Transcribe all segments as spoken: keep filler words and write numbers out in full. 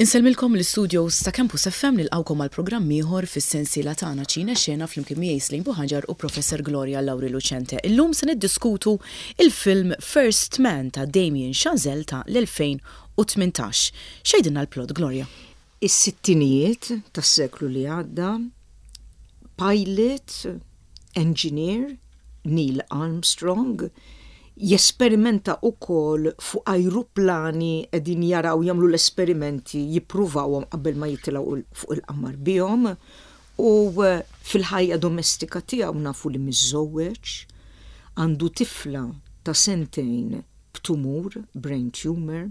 Insellmilkom l-studios ta' Campus F M, nilqgħukom għal programm ieħor fis-sensiela tagħna Ċine Xena, flimkien miegħi Slim Buħaġar u Professor Gloria Lauri Lucente. Illum se niddiskutu il-film First Man ta' Damien Chazelle ta' l-elfejn u tmintax. X'jgħidilna l-plot, Gloria? Is-sittinijiet tas-seklu li għadda, pilot, engineer, Neil Armstrong, jesperimenta ukoll fuq ajruplani, qegħdin jaraw, jagħmlu l-esperimenti, jippruvawhom qabel ma jitilgħu fuq il-qamar bihom, u eh, fil-ħajja domestika tiegħu nafu li miżżewweġ, għandu tifla ta' sentejn b'tumur, brain tumor,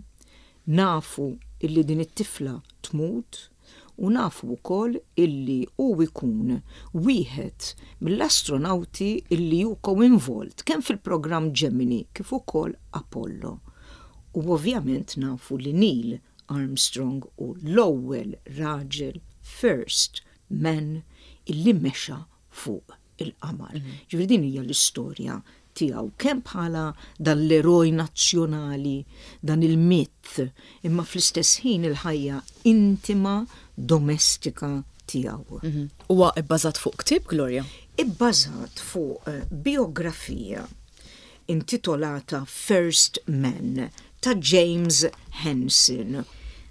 nafu illi din it-tifla tmut u nafu wkoll illi hu jkun wieħed mill-astronauti illi hu co-involved kemm fil-programm Gemini kif ukoll Apollo. U ovvjament nafu li Neil Armstrong hu l-ewwel raġel, first man, illi mexa fuq il-qamar. Mm -hmm. Ġifieri din hija l-istorja tiegħu kemm bħala dan l-eroj nazzjonali, dan il-mit, imma fl-istess ħin il-ħajja intima, domestika tiegħu. Mhm. Huwa ibbażat fuq ktieb, Gloria? Ibbażat fuq eh, biografija intitolata First Man ta' James Hansen.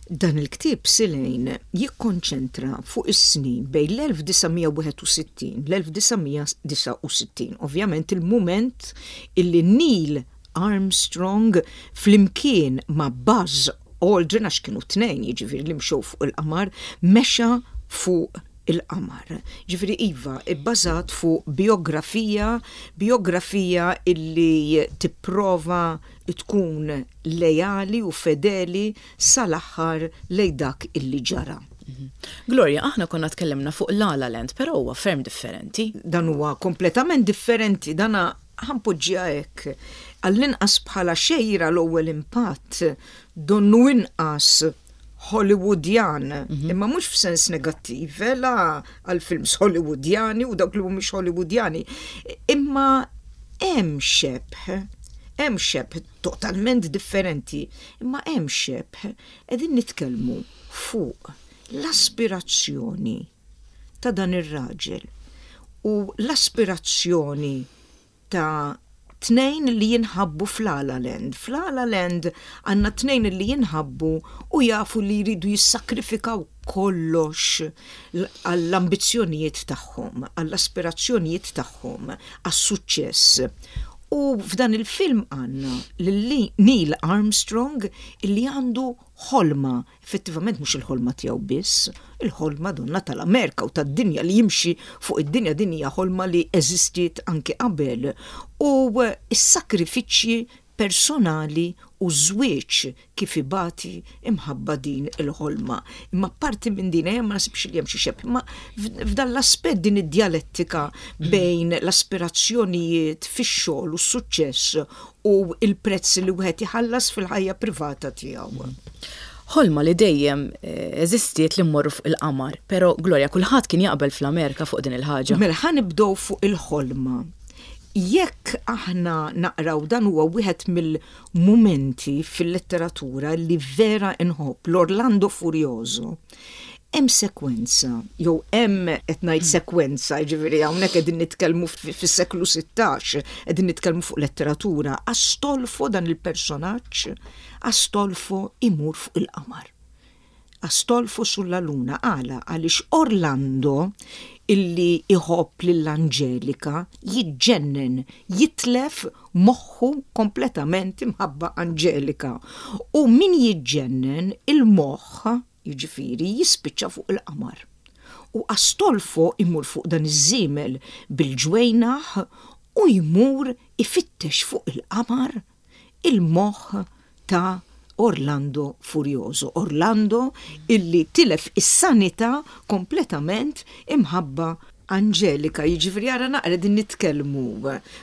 Dan il-ktieb, Silejn, jikkonċentra fuq is-snin bejn l-elf disa' mija wieħed u sittin l-elf disa' mija disgħa u sittin. Ovvjament il-moment illi Neil Armstrong flimkien ma' Buzz Aldrin, għax kienu tnejn, jiġifieri, li mxew fuq il-qamar, mexa fuq il-qamar. Ġifieri iva, bbażat fuq biografija, biografija illi tipprova tkun lejali u fedeli sal-aħħar lej dak illi ġara. Mhm. Gloria, aħna konna tkellimna fuq La La Land, però huwa ferm differenti. Dan huwa kompletament differenti, dana ħa npoġġiha hekk. Għall-inqas bħala xejra, l-ewwel impatt donnu inqas Hollywoodjan, mhm. imma mhux f'sens negattiv, la għal films Hollywoodjani u dawk li mhumiex Hollywoodjani, imma hemm xebh, hemm xebh totalment differenti, imma hemm xebh. Qegħdin nitkellmu fuq l-aspirazzjoni ta' dan ir-raġel u l-aspirazzjoni ta' tnejn li jinħabbu f'La La Land. F'La La Land għandna tnejn li jinħabbu u jafu li jridu jissakrifikaw kollox għall-ambizzjonijiet tagħhom, għall-aspirazzjonijiet tagħhom, għas-suċċess. U f'dan il-film għandna lil Neil Armstrong illi għandu ħolma, effettivament mhux il-ħolma tiegħu biss, il-ħolma donna tal-Amerika u tad-dinja li jimxi fuq id-dinja. Din hija ħolma li eżistiet anke qabel. U s-sakrifiċċji personali u żwieġ kif ibati imħabba din il-ħolma. Imma parti minn din ma naħsibx li hemm xi xebh, imma f'dan l-aspett din id-djalettika bejn l-aspirazzjonijiet fix-xogħol u s-suċċess u il-prezz li wieħed iħallas fil-ħajja privata tiegħu. Ħolma li dejjem eh, eżistiet li mmorru fuq il-qamar, pero Gloria, kulħadd kien jaqbel fl-Amerika fuq din il-ħaġa? Mela ħa nibdew fuq il-ħolma. Jekk aħna naqraw, dan huwa wieħed mill-mumenti fil-letteratura li vera inħobb, l-Orlando Furioso. Hemm sekwenza, jew hemm, qed ngħid sekwenza, jiġifieri hawnhekk qegħdin nitkellmu fis-seklu sittax, qegħdin nitkellmu fuq letteratura, Astolfo, dan il-personaġġ, Astolfo imur fuq il-qamar. Astolfo sulla luna, għala? Għaliex Orlando illi iħobb lill-Angelika jiġġennen, jitlef moħħu kompletament imħabba Angelika. U min jiġġennen il-moħħ, jiġifieri, jispiċċa fuq il-qamar. U Astolfo imur fuq dan iż-żiemel bil-ġwejnaħ u jmur ifittex fuq il-qamar il-moħħ ta' Orlando Furioso. Orlando illi tilef is-sanità kompletament imħabba Angelika. Jiġifieri ara naqra, din nitkellmu,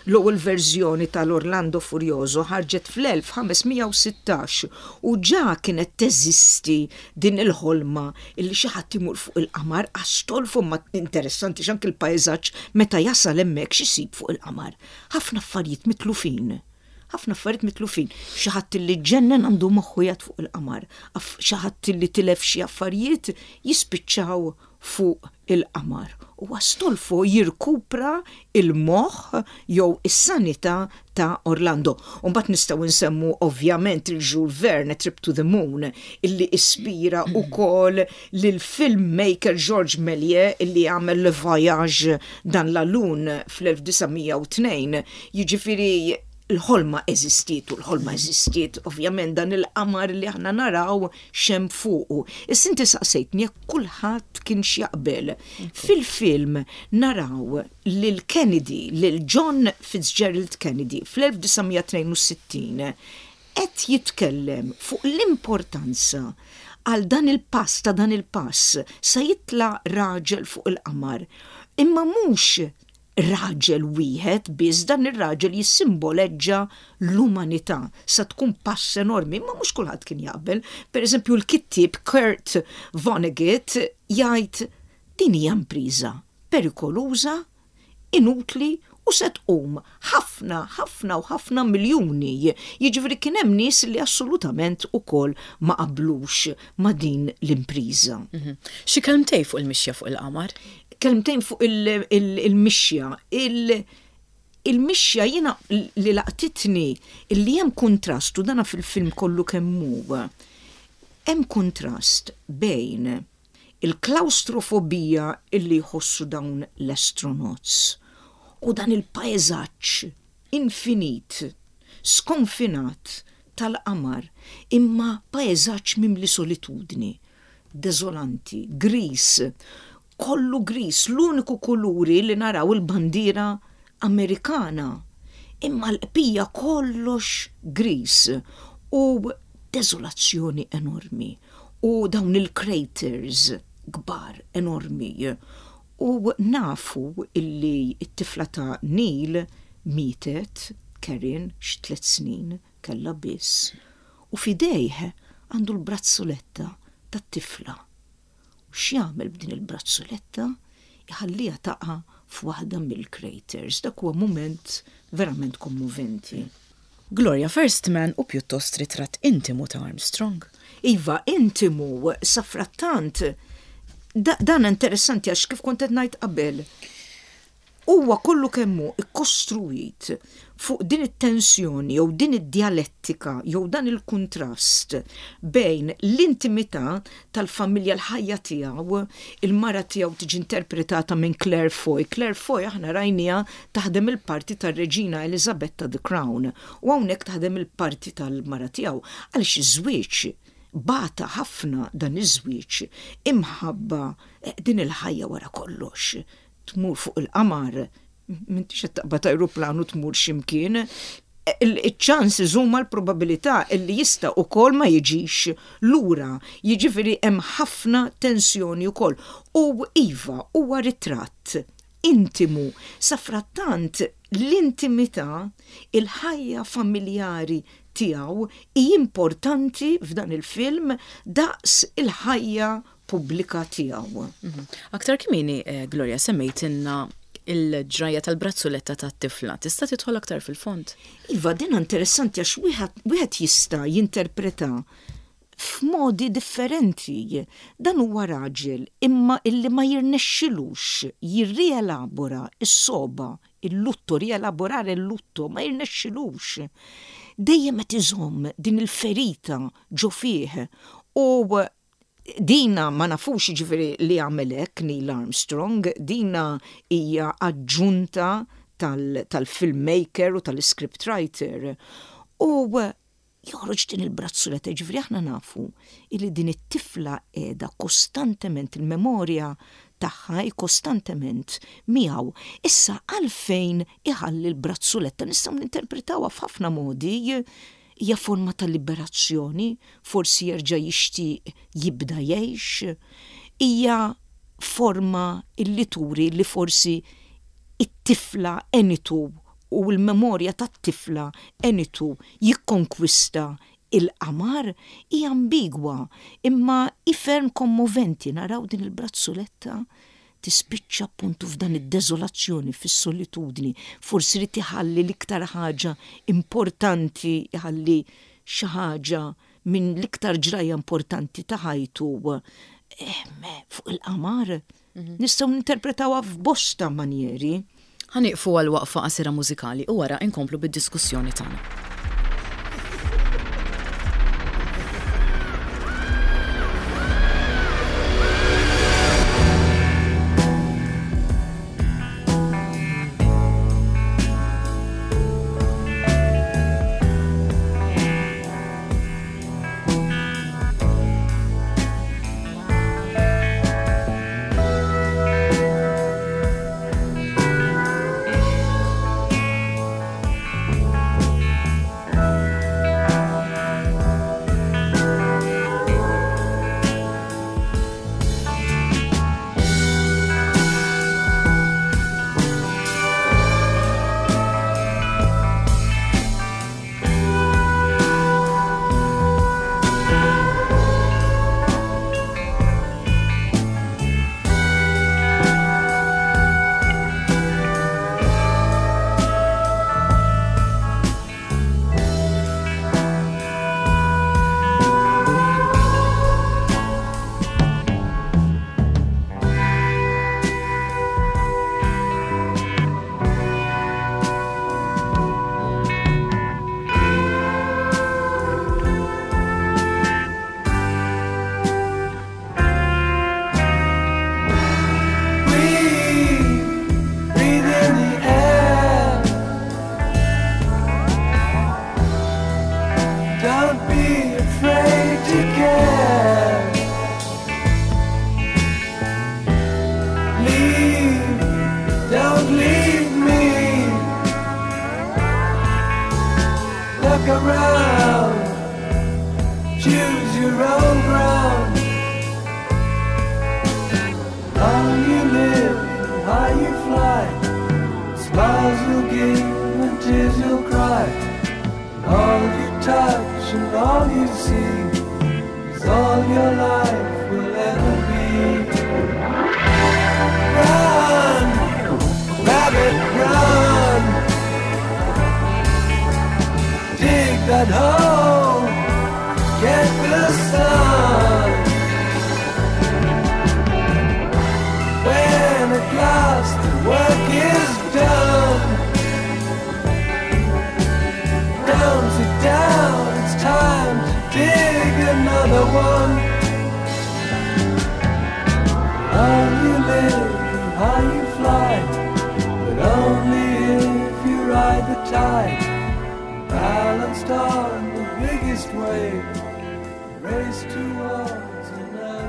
l-ewwel verżjoni tal-Orlando Furioso ħarġet fl-elf ħames mija u sittax u ġa kienet teżisti din il-ħolma illi xi ħadd imur fuq il-qamar, Astolfo. Ma interessanti x'anke il-pajżaġġ meta jasal hemmhekk, x'isib fuq il-qamar. Ħafna affarijiet mitlufin, Ħafna affarijiet mitlufin. Xi ħadd li ġennen għandu moħħu jgħid fuq il-qamar. Xi ħadd li tilef xi affarijiet jispiċċaw fuq il-qamar. U Astolfo jirkupra il-moħħ jew is-sanità ta' Orlando. Mbagħad nistgħu nsemmu ovvjament il-Jules Verne, Trip to the Moon, illi ispira ukoll lil filmmaker Georges Méliès illi għamel Le Voyage dans la Lune fl-elf disa' mija u tnejn. Jiġifieri l-ħolma eżistiet u l-ħolma eżistiet, ovvjament, dan il-qamar li aħna naraw x'hemm fuqu. Issa inti saqsejtni jekk kulħadd kien jaqbel. Fil-film naraw lil Kennedy, lil John Fitzgerald Kennedy fl-elf disa' mija tnejn u sittin qed jitkellem fuq l-importanza għal dan il-pass ta' dan il-pass sa jitla raġel fuq il-qamar. Imma mhux raġel wieħed biss, dan ir-raġel jissimboleġġa l-umanità, sa tkun pass enormi, ma mhux kulħadd kien jaqbel. Per eżempju, l-kittieb Kurt Vonnegut jgħid din hija impriża perikoluża, inutli u se tqum ħafna, ħafna u ħafna miljuni. Jiġifieri kien hemm nies li assolutament ukoll ma qablux ma' din l-impriża. Mhm. Xi kelmtejn fuq il-mixja fuq il-qamar? Kelmtejn fuq il-mixja. Il-mixja jiena li laqtitni illi hemm kontrast u dana fil-film kollu kemm hu. Hemm kontrast bejn il-klaustrofobija illi jħossu dawn l-astronauts u dan il-pajzaġġ infinit, skonfinat tal-qamar, imma pajzaġġ mimli solitudni, dezolanti, gris, kollu gris, l-uniku kuluri li naraw il-bandiera Amerikana. Imma l-bqija kollox gris u dezolazzjoni enormi u dawn il-craters kbar enormi. U nafu illi it-tifla ta' Neil mietet, Karen, xi tliet snin kella biss. U f'idejh għandu l-brazzoletta tat-tifla. U x'jagħmel b'din il-brazzoletta? Iħallija taqa' f'waħda mill-craters. Dak huwa moment verament kommoventi. Gloria, First Man hu pjuttost ritratt intimu ta' Armstrong. Iva, intimu, safrattant. Da, dan interessanti għax kif kont qed ngħid qabel, huwa kollu kemm hu ikkostruit fuq din it-tensjoni jew din id-dialettika jew dan il-kuntrast bejn l-intimità tal-familja, l-ħajja tiegħu, il-mara tiegħu tiġi interpretata minn Claire Foy. Claire Foy aħna rajniha taħdem il-parti tar-Reġina Elizabeth ta' The Crown u hawnhekk taħdem il-parti tal-mara tiegħu, għaliex iż-żwieġ bata ħafna, dan iż-żwieġ, imħabba din il-ħajja wara kollox. Tmur fuq il-qamar, m'intix qed taqbad ajruplan u tmur x'imkien, il-chances huma l-probabilità illi jista' ukoll ma jiġix lura. Jiġifieri hemm ħafna tensjoni wkoll. U iva, huwa ritratt intimu. Safrattant l-intimità, il-ħajja familjari tiegħu hi importanti f'dan il-film daqs il-ħajja pubblika tiegħu. Mhm. Aktar kmieni, eh, Gloria, semmejtilna il-ġraja tal-brazzoletta tat-tifla. Tista' tidħol aktar fil-fond? Iva, din interessanti għax wieħed jista' jinterpreta f'modi differenti. Dan huwa raġel imma illi ma jirnexxilux jirrielabora s-soba, il-lutto, rielaborare il-lutto, ma jirnexxilux. Dejjem qed iżomm din il-ferita ġo fih u dina ma nafux, ġifieri, li għamel hekk Neil Armstrong, dina hija aġġunta tal-filmmaker u tal-scriptwriter. U joħroġ din il-brazzoletta, ġifieri aħna nafu illi din it-tifla qiegħda kostantement, il-memorja tagħha kostantement miegħu. Issa għalfejn iħalli l-brazzoletta? Nistgħu ninterpretawha f'ħafna modi: hija forma ta' liberazzjoni, forsi jerġa' jixtieq jibda jgħix, hija forma illi turi li forsi it-tifla għenitu u l-memorja tat-tifla għenitu jikkonkwista il-qamar. Hija ambigwa imma hi ferm kommoventi naraw din il-brazzoletta Tispiċċa appuntu f'dan id-deżolazzjoni, fis-solitudni, forsi li tħalli l-iktar ħaġa importanti, jħalli xi ħaġa minn l-iktar ġrajja importanti ta' ħajtu fuq il-qamar. Mhm. Nistgħu ninterpretawha f'bosta manjeri. Ħa nieqfu għal waqfa qasira mużikali u wara inkomplu bid-diskussjoni tagħna.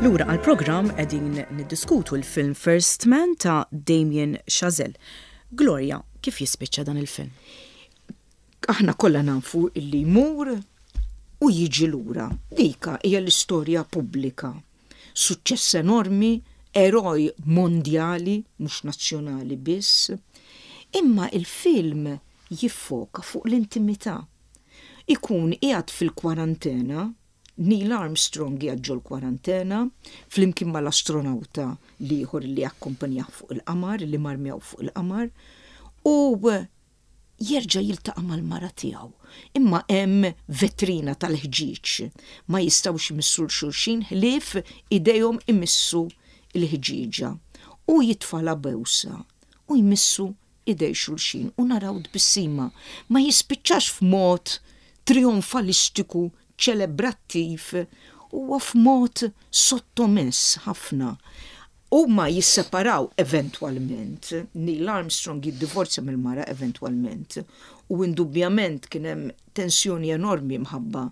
Lura għal-programm, qegħdin niddiskutu l-film First Man ta' Damien Chazelle. Gloria, kif jispiċċa dan il-film? Aħna kollha nafu illi jmur u jiġi lura. Dika hija l-istorja pubblika. Suċċess enormi, eroj mondjali, mhux nazzjonali biss. Imma il-film jiffoka fuq l-intimità. Ikun qiegħed fil-kwarantena, Neil Armstrong qiegħed ġol-kwarantena, flimkien mal-astronauta l-ieħor li akkompanjah fuq il-qamar, li mar miegħu fuq il-qamar, u jerġa' jiltaqa' mal-mara tiegħu. Imma hemm vetrina tal-ħġieġ. Ma jistgħux imissu 'l xulxin ħlief idejhom imissu l-ħġieġa. U jitfagħlha bewsa u jmissu idej xulxin u naraw tbissima. Ma jispiċċax f'mod trionfalistiku, ċelebrattiv, huwa f'mod sottomess ħafna. Huma jisseparaw eventwalment, Neil Armstrong jiddivorzja mill-mara eventwalment, u indubjament kien hemm tensjoni enormi mħabba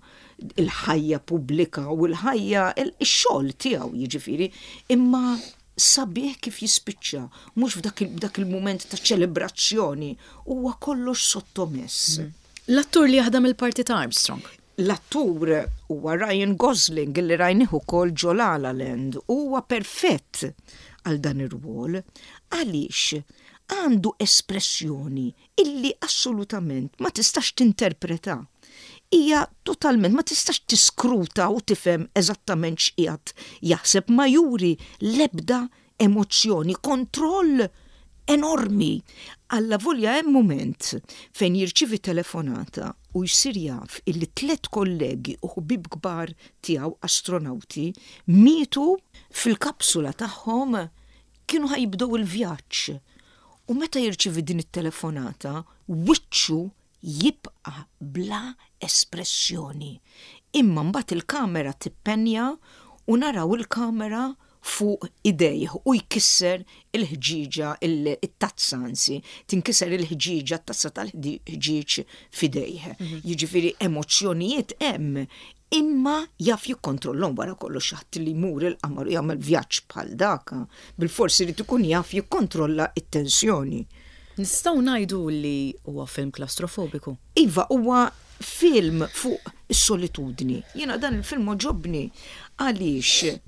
il-ħajja pubblika u l-ħajja, ix-xogħol tiegħu jiġifieri, imma sabiħ kif jispiċċa, mhux f'dak il-mument ta' ċelebrazzjoni, huwa kollox sottomess. Mm. L-attur li jaħdem il-parti ta' Armstrong? L-attur huwa Ryan Gosling, li rajnih ukoll ġo La La Land, huwa perfett għal dan ir-rwol għaliex għandu espressjoni illi assolutament ma tistax tinterpreta. Hija totalment ma tistax tiskruta u tifhem eżattament x'qiegħed jaħseb, ma juri l-ebda emozzjoni, kontroll enormi. Allavolja hemm mument fejn jirċievi telefonata u jsir jaf illi tliet kollegi u ħbib kbar tiegħu astronauti mietu fil-kapsula tagħhom, kienu ħa jibdew il-vjaġġ. U meta jirċievi din it-telefonata, wiċċu jibqa' bla espressjoni. Imma mbagħad il-kamera tippenja u naraw il-kamera fuq idejh u jkisser il-ħġiġa, il-tazza anzi, tinkiser il-ħġiġa, t-tazza tal-ħġiġ f'idejh. Mhm. Jiġifieri emozzjonijiet hemm, imma jaf jikkontrollhom. Wara kollox, ħadd li jmur il-qamar u jagħmel vjaġġ bħal daka, bil-forsi li tkun jaf jikkontrolla it-tensjoni. Nistgħu ngħidu li huwa film klastrofobiku? Iva, huwa film fuq is-solitudni. Jiena dan il-film għoġobni għaliex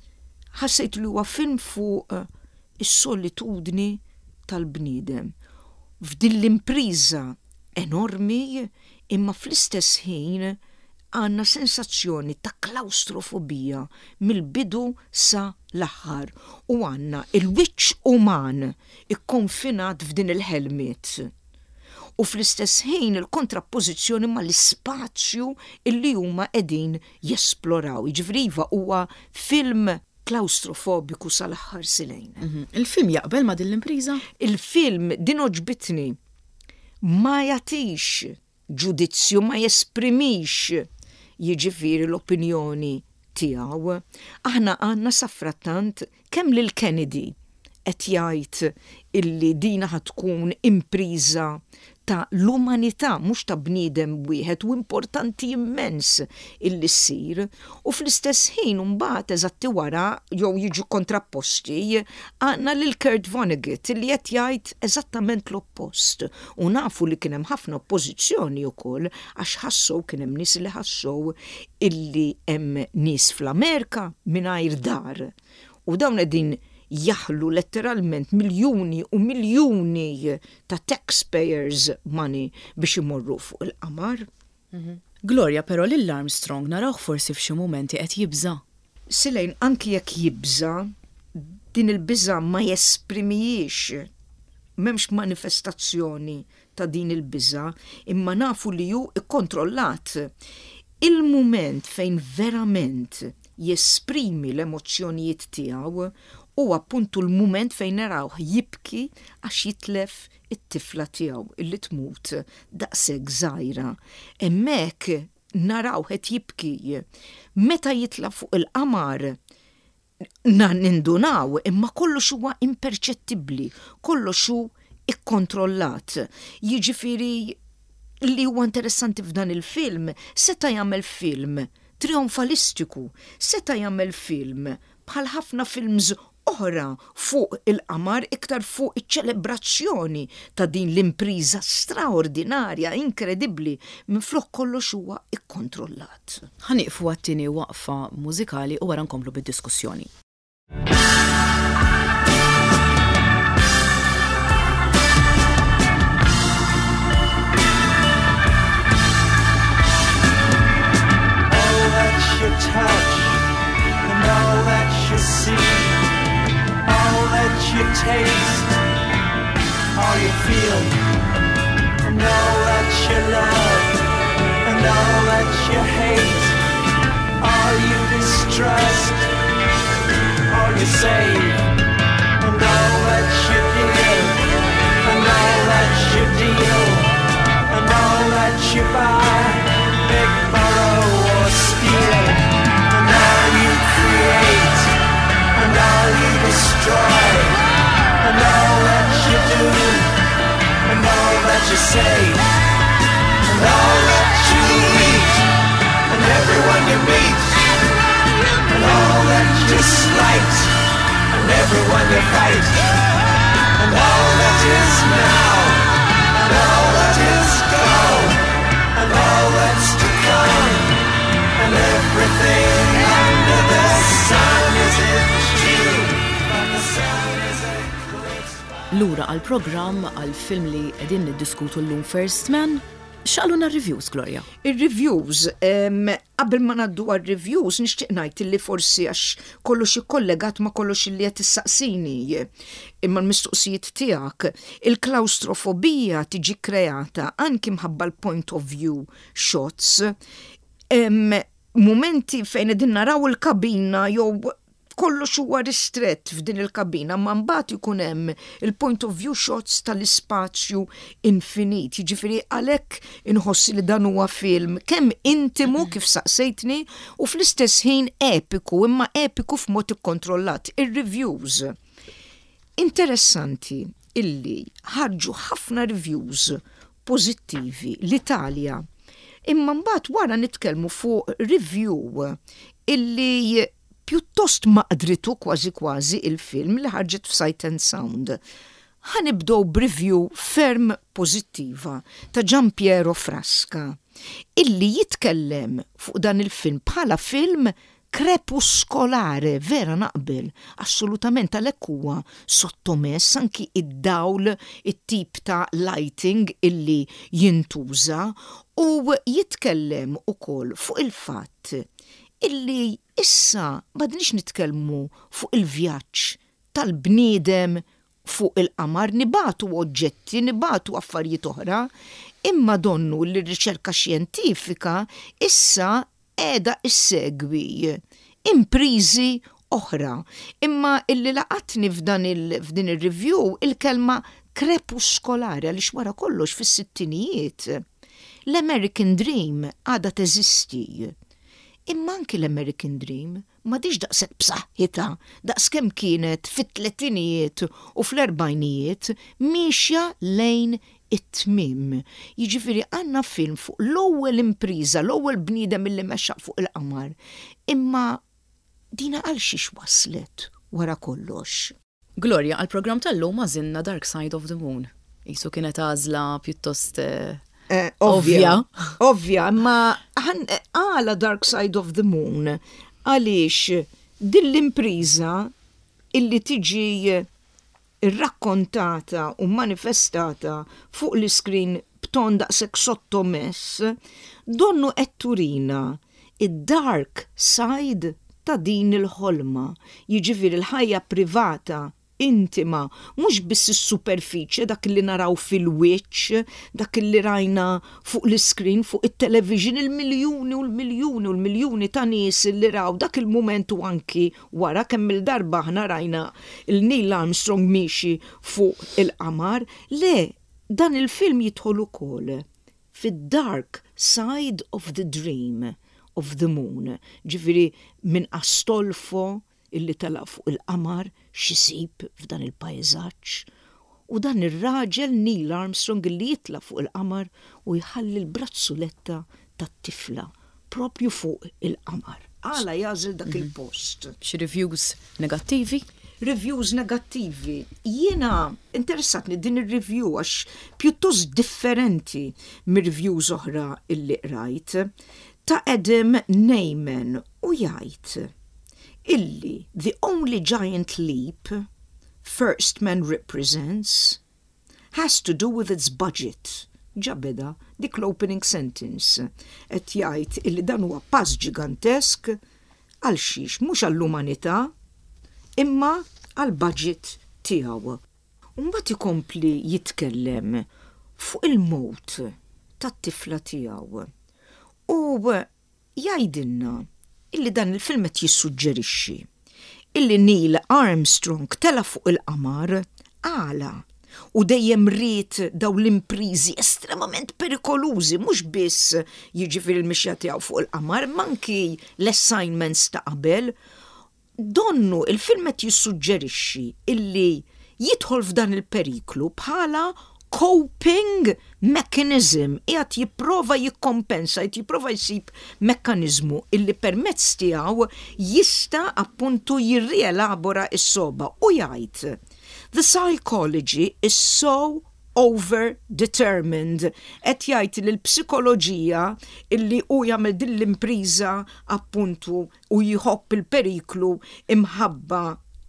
ħassejt li huwa film fuq eh, is-solitudni tal-bniedem. F'din l-impriża enormi, imma fl-istess ħin għandna sensazzjoni ta' klaustrofobija mill-bidu sa l-aħħar u għandna il-wiċċ uman ikkonfinat f'din il-helmet. U fl-istess ħin il-kontrappożizzjoni mal-ispazju illi huma qegħdin jesploraw. Jiġifieri iva, huwa film klaustrofobiku sal-aħħar silejn. Mhm. Il-film jaqbel ma' din l-impriża? Il-film, din għoġbitni, ma jagħtix ġudizzju, ma jesprimix jiġifieri l-opinjoni tiegħu. Aħna għandna safrattant kemm lil Kennedy qed jgħid illi dina ħa tkun impriża ta' l-umanità, mhux ta' bniedem wieħed, u importanti immens illi ssir. U fl-istess ħin mbagħad eżatti wara jew jiġu kontrapposti għandna lil Kurt Vonnegut illi qed jgħid eżattament l-oppost. U nafu li kien hemm ħafna oppożizzjoni wkoll għax ħassew, kien hemm nies li ħassew illi hemm nies fl-Amerika mingħajr dar. U dawn qegħdin jaħlu letteralment miljuni u miljuni ta' taxpayers money biex imorru fuq il-qamar. Mhm. Gloria, però lil Armstrong narawh forsi f'xi momenti qed jibża. Silejn, anki jekk jibża, din il-biża ma jesprimijiex. M'hemmx manifestazzjoni ta' din il-biża, imma nafu li hu ikkontrollat. Il-mument fejn verament jesprimi l-emozzjonijiet tiegħu u appuntu l-mument fejn narawh jibki għax jitlef it-tifla tiegħu illi tmut daqshekk żgħira. Hemmhekk naraw qed jibki. Meta jitla fuq il-qamar nindunaw, imma kollox huwa imperċettibbli, kollox hu ikkontrollat. Jiġifieri li huwa interessanti f'dan il-film, seta' jagħmel film trionfalistiku, seta' jagħmel film bħal ħafna films oħra fuq il-qamar, iktar fuq iċ-ċelebrazzjoni ta' din l-impriża straordinarja, inkredibbli, minflok kollox huwa ikkontrollat. Ħa nieqfu għat-tieni waqfa mużikali u wara nkomplu bid-diskussjoni. All that you touch and all that you see, all that you taste, all you feel, and all that you love, and all that you hate, all you distrust, all you save, and all that you give, and all that you deal, and all that you buy, beg, borrow, or steal, and all you create, and all you destroy, and all that you do, and all that you say, and all that you eat, and everyone you meet, and all that you slight, and everyone you fight, and all that is now, and all that is gone, and all that's to come, and everything under the sun is it true, but the sun is eclipsed by Lura għal programm, għal film li qegħdin niddiskutu llum, First Man. X'qalulna reviews, Gloria? Il-reviews, qabel ma ngħaddu għal-reviews, nixtieq ngħid li forsi għax kollox ikkollegat ma kollox li qed issaqsini imma l-mistoqsijiet tiegħek, il-klaustrofobija tiġi kreata anki mħabba l-point of view shots, momenti fejn qegħdin naraw il-kabina jew kollox huwa ristrett f'din il-kabina, ma mbagħad ikun hemm il-point of view shots tal-ispazju infinit. Jiġifieri għalhekk inħossi li dan huwa film kemm intimu, kif saqsejtni, u fl-istess ħin epiku, imma epiku f'mod ikkontrollat. Ir-reviews. Interessanti illi ħarġu ħafna reviews pożittivi l-Italja. Imma mbagħad wara nitkellmu fuq review illi pjuttost maqdritu kważi kważi il-film li ħarġet f'Sight and Sound. Ħa nibdew b'review ferm pożittiva ta' Giampiero Frasca illi jitkellem fuq dan il-film bħala film krepuskolare, vera naqbel, assolutament, għalhekk huwa sottomess anki id-dawl, it-tip ta' lighting illi jintuża, u jitkellem ukoll fuq il-fatt illi issa m'għadniex nitkellmu fuq il-vjaġġ tal-bniedem fuq il-qamar, nibagħtu oġġetti, nibagħtu affarijiet oħra, imma donnu li r-riċerka xjentifika issa qiegħda issegwi imprizi oħra. Imma illi laqatni f'dan f'din il-review il-kelma krepuskolari, għaliex wara kollox fis-sittinijiet l-American Dream għada teżisti. Imma anki l-American Dream m'għadhiex daqshekk b'saħħitha daqs kemm kienet fit-tletinijiet u fl-erbajnijiet, miexja lejn it-tmim. Jiġifieri għandna film fuq l-ewwel impriża, l-ewwel bniedem illi mexa fuq il-qamar. Imma dina għal xiex waslet wara kollox? Gloria, għal-programm tal-lum għażilna Dark Side of the Moon. Qisu kienet għażla pjuttost eh, Eh, ovvja. Ovvja, ma għala Dark Side of the Moon? Għaliex din l-impriża illi tiġi irrakkontata u manifestata fuq l-iskrin b'ton daqshekk sottomess, donnu qed turina id-dark side ta' din il-ħolma, jiġifieri l-ħajja privata intima, mhux biss is-superfiċje, dak li naraw fil-wiċċ, dak li rajna fuq l-iskrin, fuq it-television, il-miljuni u l-miljuni u l-miljuni ta' nies li raw dak il-moment u anki wara kemm il-darba aħna rajna il-Neil Armstrong miexi fuq il-qamar. Le, dan il-film jidħol ukoll fid-dark side of the dream of the moon. Ġifieri minn Astolfo illi tela' fuq il-qamar, x'isib f'dan il-pajzaġġ. U dan ir-raġel Neil Armstrong illi jitla' fuq il-qamar u jħalli l-brazzuletta tat-tifla propju fuq il-qamar. Għala jagħżel dak mhm. il-post? Xi reviews negattivi? Reviews negattivi. Jiena interessatni din ir-review għax pjuttost differenti mir-reviews oħra illi qrajt, ta' Adam Nayman, u jgħid illi the only giant leap First Man represents has to do with its budget. Ġa beda dik l-opening sentence. Qed jgħid illi dan huwa pass ġigantesk għal xiex? Mhux għall-umanità imma għal budget tiegħu. Mbagħad ikompli jitkellem fuq il-mot tat-tifla tiegħu. U jgħidilna illi dan il-film qed jissuġġerixxi illi Neil Armstrong tela' fuq il-qamar għala u dejjem ried daw l-imprizi estremament perikolużi, mhux biss jiġifieri l-mixja tiegħu fuq il-qamar, imma anki l-assignments ta' qabel. Donnu il-film qed jissuġġerixxi illi jidħol f'dan il-periklu bħala coping mechanism, qiegħed jipprova jikkompensa, qed jipprova jsib mekkanizmu illi permezz tiegħu jista' appuntu jirrielabora s-sogħba, u jgħid: "The psychology is so over-determined." Qed jgħid li l-psikoloġija illi hu jagħmel din l-impriża appuntu u jħobb il-periklu imħabba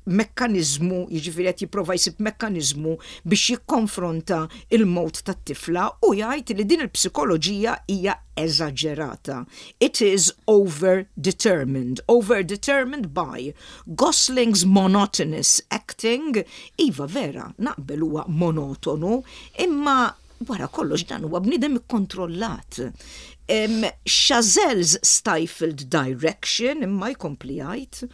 Mekkanizmu, jiġifieri qed jipprova jsib mekkanizmu biex jikkonfronta il-mewt tat-tifla u jgħid li din il-psikoloġija hija eżaġerata. It is over-determined. Over-determined by Gosling's monotonous acting. Iva, vera, naqbel, huwa monotonu, imma wara kollox dan huwa bniedem ikkontrollat. Um, Chazelle's stifled direction, imma jkompli jgħid,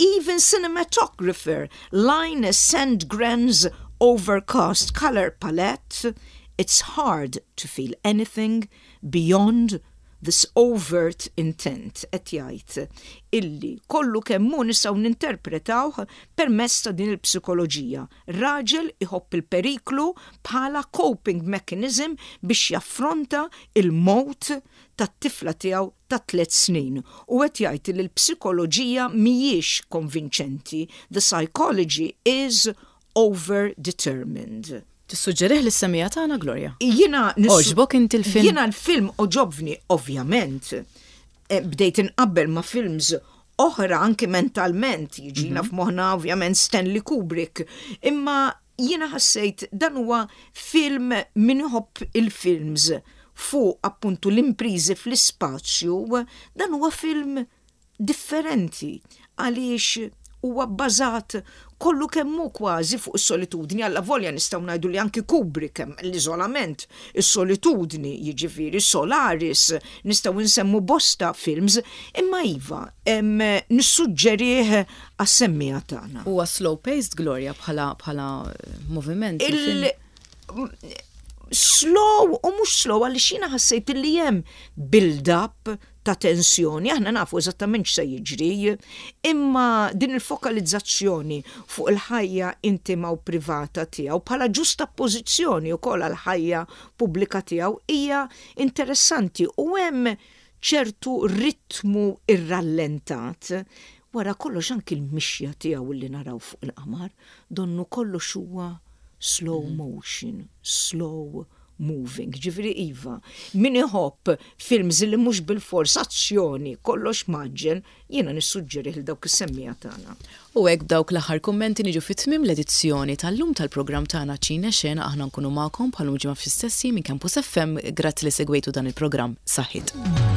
even cinematographer Linus Sandgren's overcast color palette, it's hard to feel anything beyond this overt intent. Qed jgħid illi kollu kemm hu nistgħu ninterpretawh permezz ta' din il-psikoloġija. Raġel iħobb il-periklu bħala coping mechanism biex jaffronta il-mewt tat-tifla tiegħu ta' tliet snin. U qed jgħid li l-psikoloġija mhijiex konvinċenti. The psychology is overdetermined. Tissuġġerih lis-semmiegħa tagħna, Gloria? Jiena Għoġbok inti l-film? Jiena l-film għoġobni, ovvjament. Eh, Bdejt inqabbel ma' films oħra anke mentalment, jiġina mm -hmm. f'moħħna ovvjament Stanley Kubrick. Imma jiena ħassejt dan huwa film, min iħobb il-films fuq appuntu l-imprizi fl-ispazju, dan huwa film differenti għaliex huwa bbażat kollu kemm hu kważi fuq is-solitudni. Alla volja nistgħu ngħidu li anki Kubrick hemm l-iżolament, is-solitudni, jiġifieri Solaris, nistgħu nsemmu bosta films, imma iva, nissuġġerih għas-semmiegħa tagħna. Huwa slow paced, Gloria, bħala bħala moviment? Il slow u mhux slow, għaliex jiena ħassejt li hemm build-up ta' tensjoni, aħna nafu eżattament x'se jiġri, imma din il-fokalizzazzjoni fuq il-ħajja intima u privata tiegħu bħala ġustapożizzjoni wkoll għal ħajja pubblika tiegħu hija interessanti u hemm ċertu ritmu irrallentat. Wara kollox anki l-mixja tiegħu li naraw fuq il-qamar, donnu kollox huwa slow mm. motion, slow moving. Ġifieri iva, min iħobb films li mhux bil-fors azzjoni, kollox mgħaġġel, jiena nissuġġeri lil dawk is-semmiegħa tagħna. U hekk, b'dawk l-aħħar kummenti, niġu fit-tmiem l-edizzjoni tal-lum tal-programm tagħna Ċine Xena. Aħna nkunu magħkom bħal ġimgħa fl-istess minn Campus F M. Grazzi li segwejtu dan il-programm. Saħħit.